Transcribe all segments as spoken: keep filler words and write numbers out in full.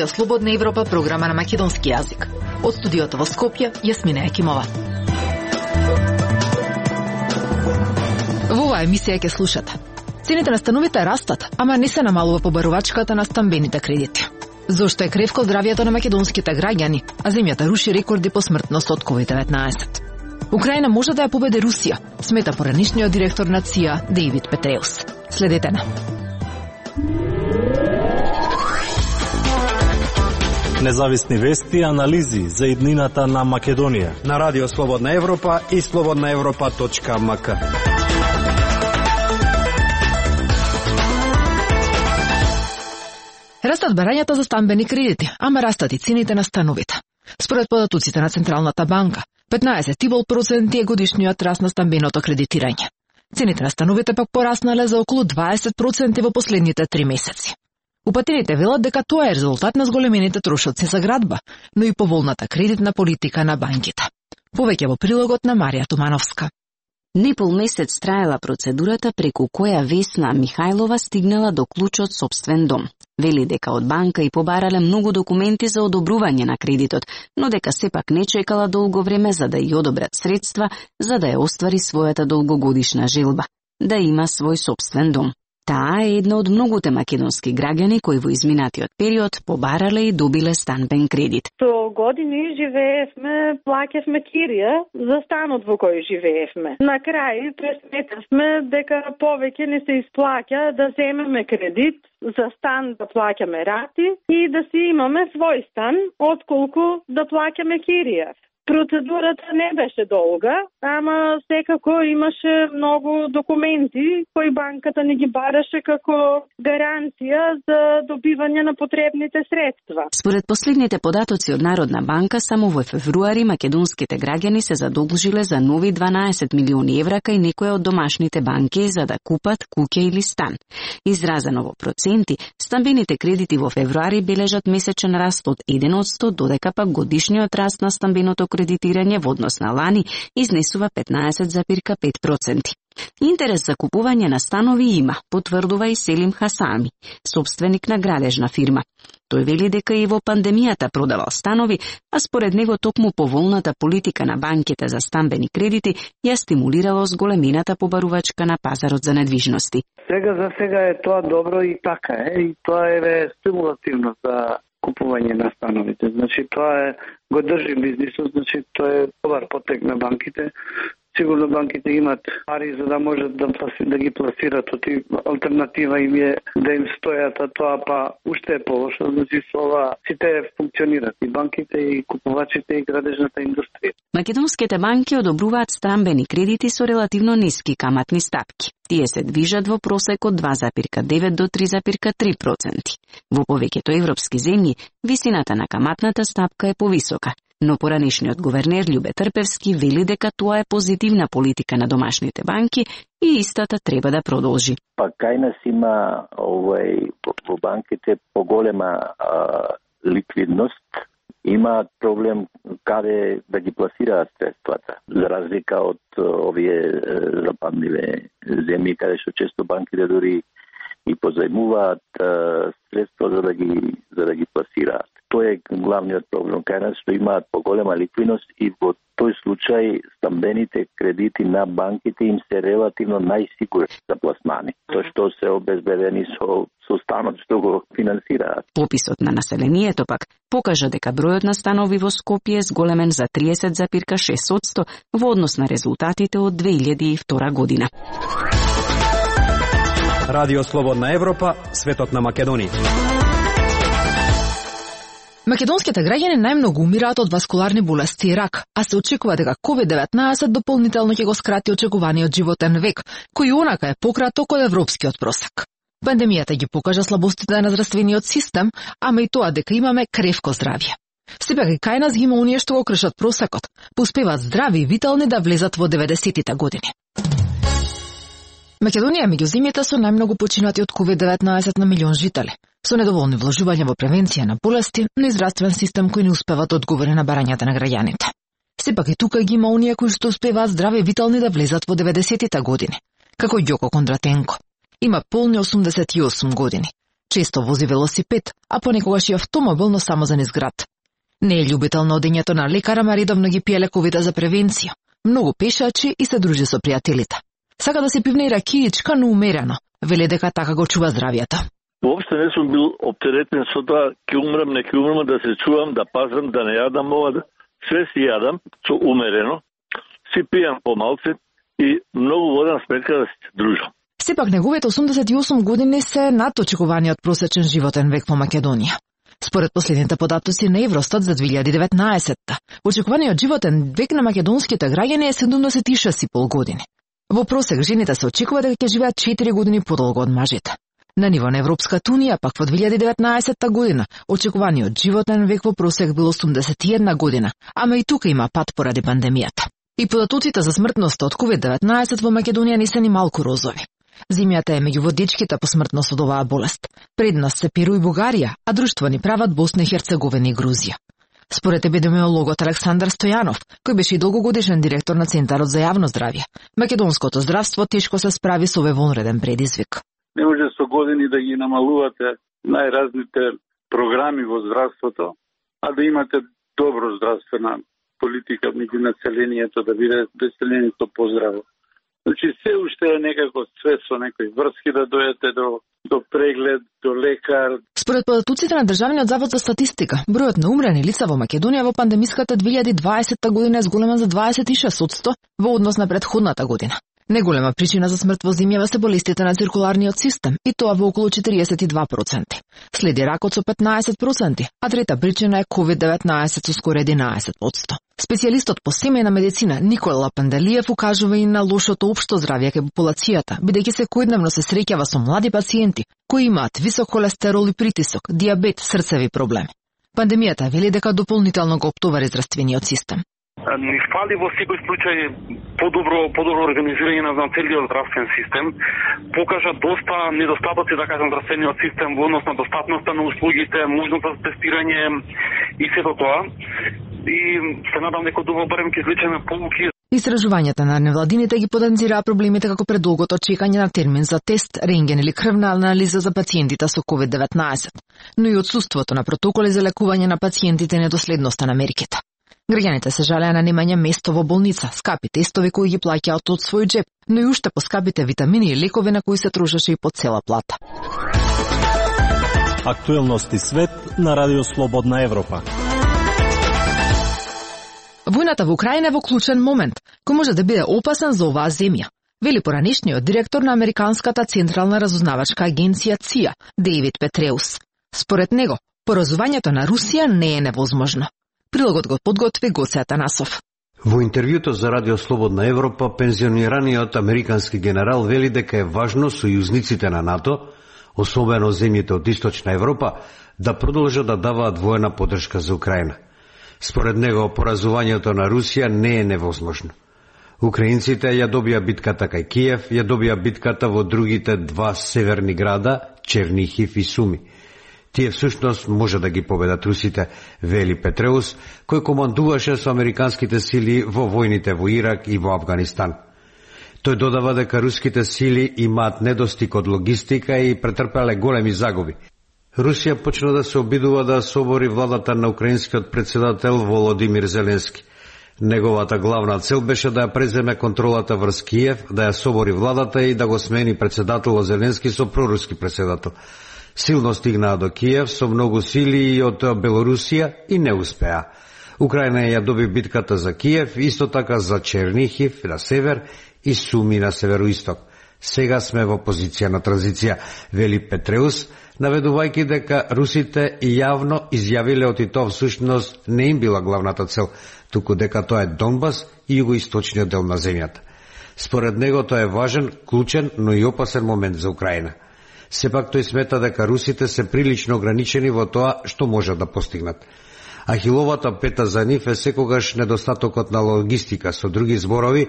Радио Слободна Европа, програма на македонски јазик. Од студиото во Скопје, Јасмина Екимова. Во оваа емисија ќе слушате. Цените на становите растат, ама не се намалува побарувачката на стамбените кредити. Зошто е кревко здравието на македонските граѓани, а земјата руши рекорди по смртност од ковид деветнаесет. Украина може да ја победи Русија, смета поранишниот директор на ЦИА Дејвид Петреус. Следете на. Независни вести и анализи за иднината на Македонија на Радио Слободна Европа и слободна европа точка ем ка. Растат барањата за стамбени кредити, ама растат и цените на становите. Според податоците на Централната банка, петнаесет и пет проценти е годишниот раст на стамбеното кредитирање. Цените на становите пак пораснале за околу дваесет проценти во последните три месеци. Упатените велат дека тоа е резултат на зголемените трошоци за градба, но и поволната кредитна политика на банките. Повеќе во прилогот на Марија Тумановска. Непол месец траела процедурата преку која Весна Михајлова стигнала до клучот сопствен дом. Вели дека од банка и побарале многу документи за одобрување на кредитот, но дека сепак не чекала долго време за да ја одобрат средства, за да ја оствари својата долгогодишна желба, да има свој сопствен дом. Таа е една од многуте македонски граѓани кои во изминатиот период побарале и добиле станбен кредит. Со години живеевме, плаќавме кирија за станот во кој живеевме. На крај пресметавме дека повеќе не се исплаќа да земеме кредит за стан да плаќаме рати и да си имаме свој стан, отколку да плаќаме кирија. Процедурата не беше долга, ама секако имаше многу документи кои банката не ги бараше како гаранција за добивање на потребните средства. Според последните податоци од Народна банка, само во февруари македонските граѓани се задолжиле за нови дванаесет милиони евра кај некоја од домашните банки за да купат куќа или стан. Изразено во проценти, стамбените кредити во февруари бележат месечен раст од еден на сто, додека пак годишниот раст на стамбеното кредитирање во однос на лани изнесува петнаесет зарез пет проценти. Интерес за купување на станови има, потврдува и Селим Хасами, собственик на градежна фирма. Тој вели дека и во пандемијата продавал станови, а според него токму поволната политика на банките за стамбени кредити ја стимулирало зголемената побарувачка на пазарот за недвижности. Сега за сега е тоа добро и така е, и тоа е стимулативно за купување на становите. Значи тоа е го држи бизнисот, значи тоа е добар потек на банките. Сигурно банките имат пари за да можат да, да ги пласират, оти алтернатива им е да им стојат, а тоа па уште е полошо, значи со ова сите функционират и банките, и купувачите, и градежната индустрија. Македонските банки одобруваат стамбени кредити со релативно ниски каматни стапки. Тие се движат во просек од два зарез девет до три зарез три проценти. Во повеќето европски земји, висината на каматната стапка е повисока, но поранешниот гувернер Љубе Трпевски вели дека тоа е позитивна политика на домашните банки и истата треба да продолжи. Па кај нас има овој во банките поголема а, ликвидност, има проблем каде да ги пласираат средствата. За разлика од овие западниве земји каде што често банките дури и позајмуваат средства за да ги за да ги пласираат. Тоа е главниот проблем кај нас, што имаат поголема ликвидност и во тој случај стамбените кредити на банките им се релативно најсигурни за пласмани, тоа што се обезбедени со со станот што го финансираат. Пописот на населението пак покажа дека бројот на станови во Скопје е зголемен за триесет зарез шест одсто во однос на резултатите од две илјади и втора година. Радио Слободна Европа, светот на Македонија. Македонските граѓани најмногу умираат од васкуларни болести и рак, а се очекува дека ковид деветнаесет дополнително ќе го скрати очекуваниот животен век, кој онака е пократок од европскиот просек. Пандемијата ги покажа слабостите на здравствениот систем, ама и тоа дека имаме кревко здравје. Сепак и кај нас ги има оние што го кршат просекот, успеваат здрави и витални да влезат во деветдесетите години. Македонија е меѓу земјите со најмногу починати од ковид деветнаесет на милион жители, со недоволни вложувања во превенција на болести, но и здравствен систем кој не успева да одговори на барањата на граѓаните. Сепак и тука ги има оние кои што успеваат здрави и витални да влезат во деветдесетите години, како Ѓоко Кондратенко. Има полни осумдесет и осум години. Често вози велосипед, а понекогаш и автомобил, но само за низ град. Не е љубител на одењето на лекара, ма редовно ги пие лековите за превенција. Многу пешачи и се дружи со пријателите. Сака да се пивне и ракиичка, но умерено. Вели дека така го чува здравието. Воопште не сум бил оптеретен со тоа, ќе умрам, не ќе умрам, да се чувам, да пазам, да не јадам ова, да... све си јадам, со умерено, си пијам помалце и многу водам сметка да се дружам. Сепак неговите осумдесет и осум години се над очекуваниот просечен животен век во Македонија. Според последните податоци на Евростат за две илјади и деветнаесетта, очекуваниот животен век на македонските граѓани е седумдесет и шест и пол години. Во просек жените се очекува дека ќе живеат четири години подолго од мажите. На ниво на Европската унија, пак во две илјади и деветнаесетта година, очекуваниот животен век во просек бил осумдесет и една година, ама и тука има пат поради пандемијата. И податоците за смртност од ковид деветнаесет во Македонија не се ни малку розови. Земјата е меѓу водичките по смртност од оваа болест. Пред нас се Перу и Бугарија, а друштво ни прават Босна и Херцеговина и Грузија. Според епидемиологот Александар Стојанов, кој беше и долгогодишен директор на Центарот за јавно здравје, македонското здравство тешко се справи со овој вонреден предизвик. Не може со години да ги намалувате најразните програми во здравството, а да имате добро здравствена политика меѓу населението, да биде населението поздраво. Значи, се уште е некако све со некои врски да дојдете до, до преглед, до лекар. Според податоците на Државниот завод за статистика, бројот на умрени лица во Македонија во пандемиската две илјади и дваесетта година е зголемен за дваесет и шест одсто во однос на претходната година. Неголема причина за смрт во земјава се болестите на циркуларниот систем, и тоа во околу четириесет и два проценти. Следи ракот со петнаесет проценти, а трета причина е ковид деветнаесет со скоро единаесет одсто. Специјалистот по семејна медицина Никола Панделиев укажува и на лошото општо здравје кај популацијата, бидејќи секојдневно се среќава со млади пациенти кои имаат висок холестерол и притисок, диабет, срцеви проблеми. Пандемијата вели дека дополнително го оптовари здравствениот систем. Ни фали во секој случај подобро подобро организирање на целиот здравствен систем. Покажа доста недостатоци, да кажам, здравствениот систем во однос на достапноста на услугите, можност за тестирање и сето тоа. И се надам дека до барем ќе извлечеме поуки. Истражувањата на невладините ги потенцираа проблемите како предолгото чекање на термин за тест, рентген или крвна анализа за пациентите со ковид деветнаесет, но и отсуството на протоколи за лекување на пациентите и недоследноста на мерките. Граѓаните се жалеа на немање место во болница, скапи тестови кои ги плаќаат од свој джеб, но и уште поскапите витамини и лекови на кои се трошеше и по цела плата. Актуелности свет на Радио Слободна Европа. Војната во Украина е во клучен момент, кој може да биде опасен за оваа земја, вели поранешниот директор на Американската централна разузнавачка агенција ЦИА, Дејвид Петреус. Според него, поразувањето на Русија не е невозможно. Прилогот го подготви Гоце Атанасов. Во интервјуто за Радио Слободна Европа, пензионираниот американски генерал вели дека е важно сојузниците на НАТО, особено земјите од Источна Европа, да продолжат да даваат воена поддршка за Украина. Според него, поразувањето на Русија не е невозможно. Украинците ја добија битката кај Киев, ја добија битката во другите два северни града, Чернихив и Суми. Тие всушност може да ги победат русите, вели Петреус, кој командуваше со американските сили во војните во Ирак и во Афганистан. Тој додава дека руските сили имаат недостиг од логистика и претрпеле големи загуби. Русија почна да се обидува да собори владата на украинскиот председател Володимир Зеленски. Неговата главна цел беше да ја преземе контролата врз Киев, да ја собори владата и да го смени председателот Зеленски со проруски председател. Силно стигнаа до Киев со многу сили од Белорусија и не успеа. Украина ја доби битката за Киев, исто така за Чернихив на север и Суми на североисток. Сега сме во позиција на транзиција, вели Петреус, наведувајќи дека русите јавно изјавиле од и тоа всушност не им била главната цел, туку дека тоа е Донбас и југоисточниот дел на земјата. Според него тоа е важен, клучен, но и опасен момент за Украина. Сепак тој смета дека русите се прилично ограничени во тоа што можат да постигнат. Ахиловата пета за нив е секогаш недостатокот на логистика, со други зборови,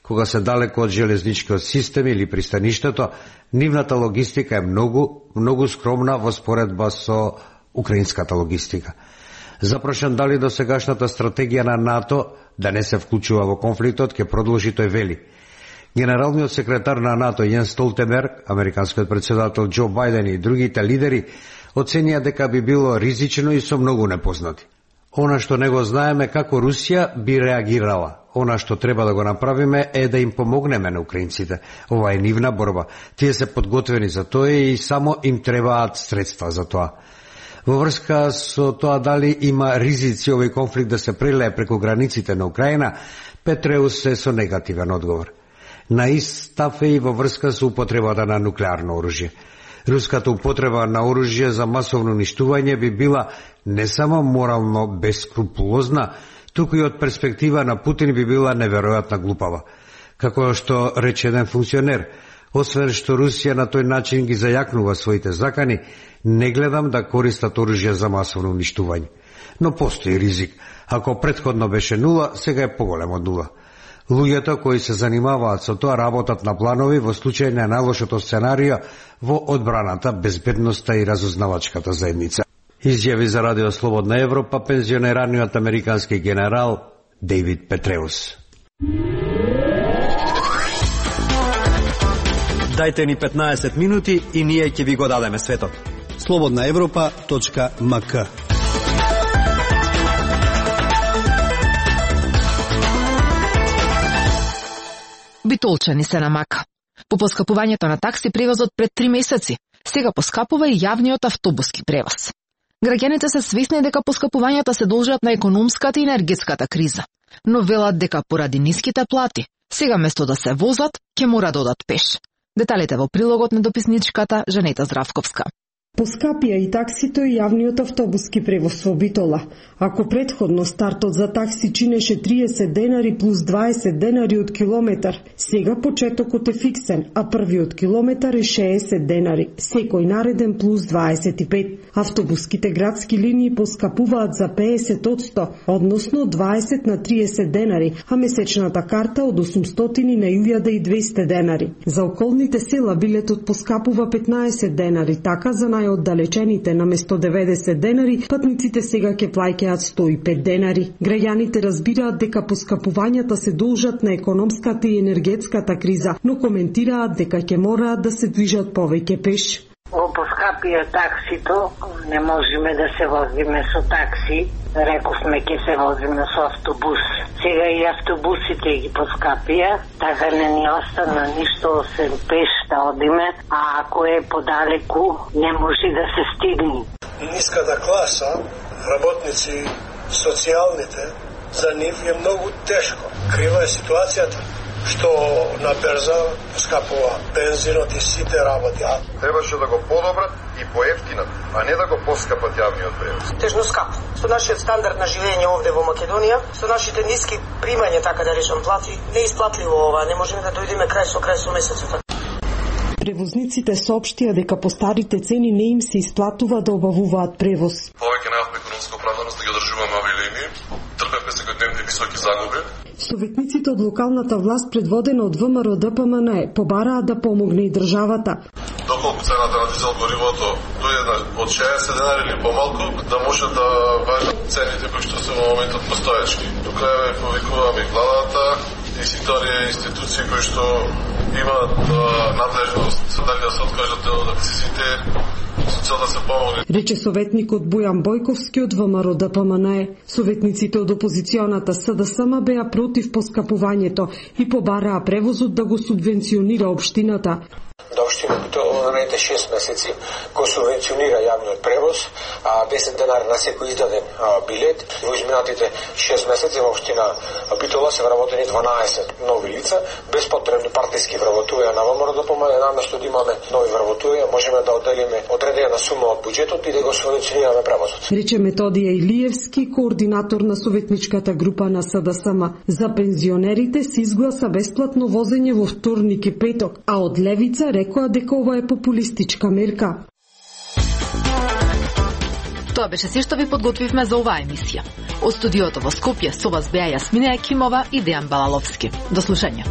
кога се далеко од железничкиот систем или пристаништето, нивната логистика е многу, многу скромна во споредба со украинската логистика. Запрашан дали до сегашната стратегија на НАТО да не се вклучува во конфликтот, ќе продолжи, тој вели. Генералниот секретар на НАТО Јенс Столтенберг, американскиот председател Џо Бајден и другите лидери оценија дека би било ризично и со многу непознати. Она што не го знаеме како Русија би реагирала. Она што треба да го направиме е да им помогнеме на украинците. Ова е нивна борба. Тие се подготвени за тоа и само им требаат средства за тоа. Во врска со тоа дали има ризици овој конфликт да се прелее преку границите на Украина, Петреус е со негативен одговор. На ист став е и во врска со употребата на нуклеарно оружје. Руската употреба на оружје за масовно уништување би била не само морално бескрупулозна, туку и од перспектива на Путин би била неверојатна глупава. Како што рече еден функционер, освен што Русија на тој начин ги зајакнува своите закани, не гледам да користат оружје за масовно уништување. Но постои ризик. Ако претходно беше нула, сега е поголем од нула. Луѓето кои се занимаваат со тоа работат на планови во случај на најлошото сценарио во одбраната, безбедноста и разузнавачката заедница. Изјави за Радио Слободна Европа пензионираниот американски генерал Дејвид Петреус. Дајте ни петнаесет минути и ние ќе ви го дадеме светот. слободна европа точка ем ка. Битолчани се на мака. По поскапувањето на такси превозот пред три месеци, сега поскапува и јавниот автобуски превоз. Граѓаните се свесни дека поскапувањата се должат на економската и енергетската криза, но велат дека поради ниските плати, сега место да се возат, ќе мора да одат пеш. Деталите во прилогот на дописничката Жанета Здравковска. Поскапија и таксито и јавниот автобуски превоз во Битола. Ако предходно стартот за такси чинеше триесет денари плюс дваесет денари од километар, сега почетокот е фиксен, а првиот километар е шеесет денари, секој нареден плюс дваесет и пет. Автобуските градски линии поскапуваат за педесет одсто, односно дваесет на триесет денари, а месечната карта од осумстотини на илјада и двесте денари. За околните села билетот поскапува петнаесет денари, така за најоддалечените наместо деветдесет денари, патниците сега ќе плаќаат сто и пет денари. Граѓаните разбираат дека поскапувањата се должат на економската и енергетската криза, но коментираат дека ќе мораат да се движат повеќе пеш. Го поскапија таксито, не можеме да се возиме со такси, рековме ќе се возиме со автобус. Сега и автобусите ги поскапија, така не ни остана ништо освен пеш да одиме, а ако е подалеку, не може да се стигне. Ниската класа, работници, социјалните, за нив е многу тешко. Крива е ситуацијата што на берза скапува бензинот и сите работи. Требаше да го подобрат и поевтинат, а не да го поскапат јавниот превоз. Тежно скап. Со нашиот стандард на живење овде во Македонија, со нашите ниски примања, така да речам, плати, не исплатливо ова, не можеме да дојдеме крај со крај со месецот. Превозниците соопштија дека по старите цени не им се исплатува да обавуваат превоз. Повеќе немавме економска оправданост да ги одржуваме овие линии, трпевме секојдневни високи загуби. Советниците од локалната власт, предводена од Вэ Ем Ар О Д П М Н Е, побараат да помогне и државата. Доколку цената на дизел горивото дојде од шеесет денари или помалку, да може да важат цените кои што се во моментот постоечки. До крај повикуваме и владата, и сите оние институции кои што имаат надлежност дали да се откажат дел од акцизите, со цел да се помогне. Рече советникот Бојан Бојковски од Вэ Ем Ар О Д П М Н Е. Советниците од опозиционата С Д С М беа против поскапувањето и побараа превозот да го субвенционира општината. Да општина Битола наредните шест месеци го субвенционира јавниот превоз, а десет денари на секој издаден а, билет. Во изминатите шест месеци во општина Битола се вработени дванаесет нови лица, без потребни партиски вработувања на Вэ Ем Ар О Д П М Н Е. Наместо да имаме нови вработувања, можеме да одделиме одредена сума од буџетот и да го субвенционираме превозот. Рече Методија Илиевски, координатор на советничката група на С Д С М. За пензионерите се изгласа бесплатно возење во вторник и петок, а од левица рекоа дека ова е популистичка мерка. Тоа беше се што ви подготвивме за оваа емисија. Од студиото во Скопје со вас беа Јасмина Екимова и Дејан Балаловски. До слушање.